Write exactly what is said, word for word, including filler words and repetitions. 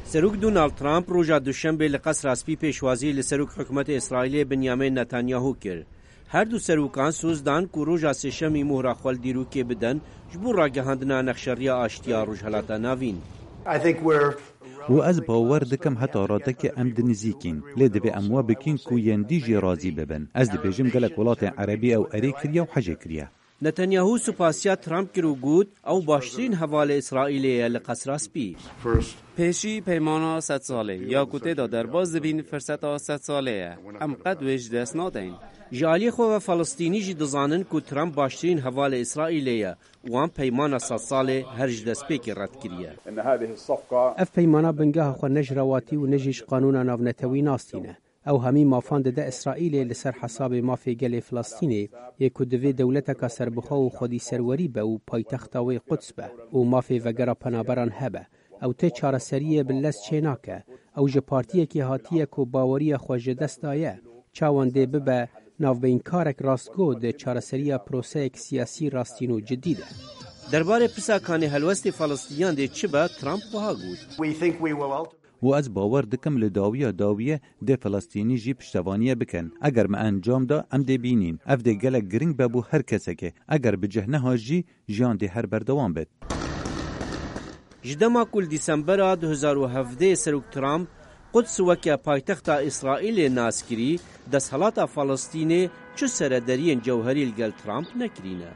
Serok Donald Trump roja Duşembê li Qesra Spî pêşwazî li Serok Hikûmetê Îsraîlê Benyamin Netanyahu kir. Her du serokan soz dan ku roja Sêşemî mohra xwe li dîrokê bidin ji bo ragihandina nexşeriya aştiya Rojhelata Navîn. I think we're Û ez bawer dikim heta radekê em di nizîkîn, lê divê em we bikîn ku yên dî jî razî bibin. Ez dibêjim gelek welatên erebî ew erê kiriye û hejê kiriye. Netanyahu supasiya Trump kir û got, ew baştirîn hevalê Îsraîlê ye li Qesra Spî. Pêşî peymana sed salê ya ku tê de derbas dibîn firseta sed salê ye. Em qet wê ji dest nadeyn. Ji aliyê xwe ve Falistînî jî dizanin ku Trump baştirîn hevalê Îsraîlê ye û wan peymana sed salê her ji destpêkê red kiriye. Ev peymana bingeha xwe ne ji rewatî û ne jî ji qanûna navnetewî nas tîne. Ew hemî mafan dide Îsraîlê li ser hesabê mafê gelê Filistînê yê ku divê dewleteka serbixwe û xwedî serwerî be û paytexta wê Quds be û mafê vegera penaberan hebe. Ew tê çareseriyê bi lez çênake. Ew ji partiyekê hatiye ku baweriya xwe ji dest daye. Çawan dê bibe navbeyinkarek rastgo di çareseriya proseyek siyasî rastîn û cidî de? Derbarê pirsa kanê helwestê Falistîniyan dê çi be, Trump wiha got. We think we will ult- û ez bawer dikim li dawiya dawiyê dê Filistînî jî piştevaniye bikin. Eger me encam da, em dê bînîn. Ev dê gelek giring be bo her kesekê. Eger bi cih nehat jî, jiyan dê her berdewam bit. Ji dema ku li Dîsembera du hezar û hevdeh Serok Trump Quds weke paytexta Îsraîlê nas kirî, desthilata Falistînê çi serederiyên cewherî li gel Trump nekirîne.